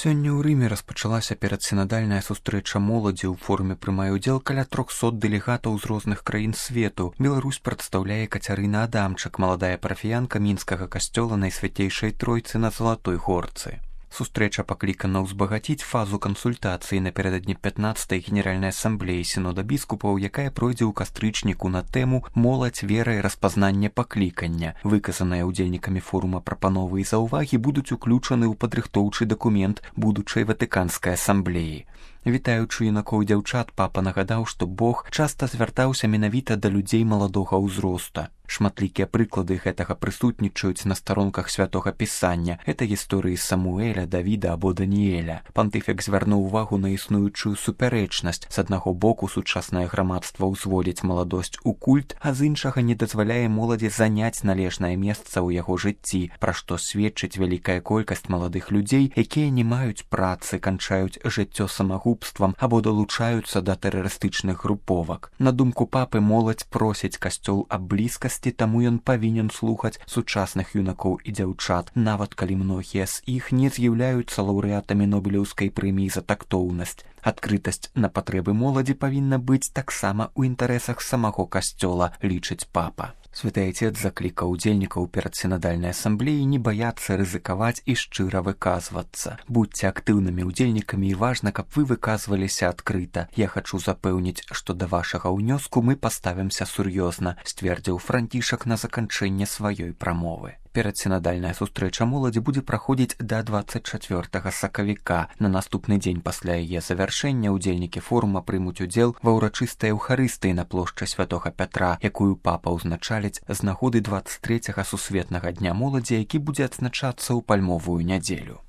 Сёння ў Рыме распачалася перадсінадальная сустрэча моладзі. У форуме прымае ўдзел каля 300 дэлегатаў з розных краін свету. Беларусь прадстаўляе Кацярына Адамчык, маладая парафіянка мінскага касцёла Найсвяцейшай Тройцы на Залатой Горцы. Сустрэча паклікана ўзбагаціць фазу кансультацыі напярэдадні 15-й генеральнай асамблеі сінода біскупаў, якая пройдзе ў кастрычніку на тэму «Моладзь, вера і распазнанне паклікання». Выказаныя ўдзельнікамі форума прапановы і заўвагі будуць уключаны ў падрыхтоўчы дакумент будучай Ватыканскай асамблеі. Вітаючы юнакоў і дзяўчат, папа нагадаў, што Бог часта звяртаўся менавіта да людзей маладога ўзроста. Шматлікія прыклады гэтага прысутнічаюць на старонках святога пісання. Гэта гісторыі Самуэля, Давіда або Даніэля. Пантыфік звярнуў увагу на існуючую супярэчнасць. З аднаго боку, сучаснае грамадства ўзводзіць маладосць у культ, а з іншага не дазваляе моладзі заняць належнае месца ў яго жыцці, пра што сведчыць вялікая колькасць маладых людзей, якія не маюць працы, канчаюць жыццё самагубствам або далучаюцца да тэрарыстычных груповак. На думку папы, моладзь просіць касцёл аб блізкасці, таму ён павінен слухаць сучасных юнакоў і дзяўчат, нават калі многія з іх не з'яўляюцца лаўрэатамі Нобелеўскай прэміі за тактоўнасць. Адкрытасць на патрэбы моладзі павінна быць таксама ў інтарэсах самого касцёла, лічыць папа. Святы Айцец заклікаў удзельнікаў перадсінадальнай асамблеі не баяцца рызыкаваць і шчыра выказвацца. Будзьце актыўнымі удзельнікамі і важна, каб вы выказваліся адкрыта. Я хачу запэўніць, што да вашага ўнёску мы паставімся сур'ёзна, сцвердзіў Францішак на заканчэнне сваёй прамовы. Перадсінадальная сустрэча моладзі будзе праходзіць да 24 сакавіка. На наступны дзень пасля яе завяршэння удзельнікі форума прымуць удзел ва ўрачыстай эўхарыстыі на плошчы святога Пятра, якую папа ўзначаліць з нагоды 23-га сусветнага дня моладзі, які будзе адзначацца ў пальмовую нядзелю.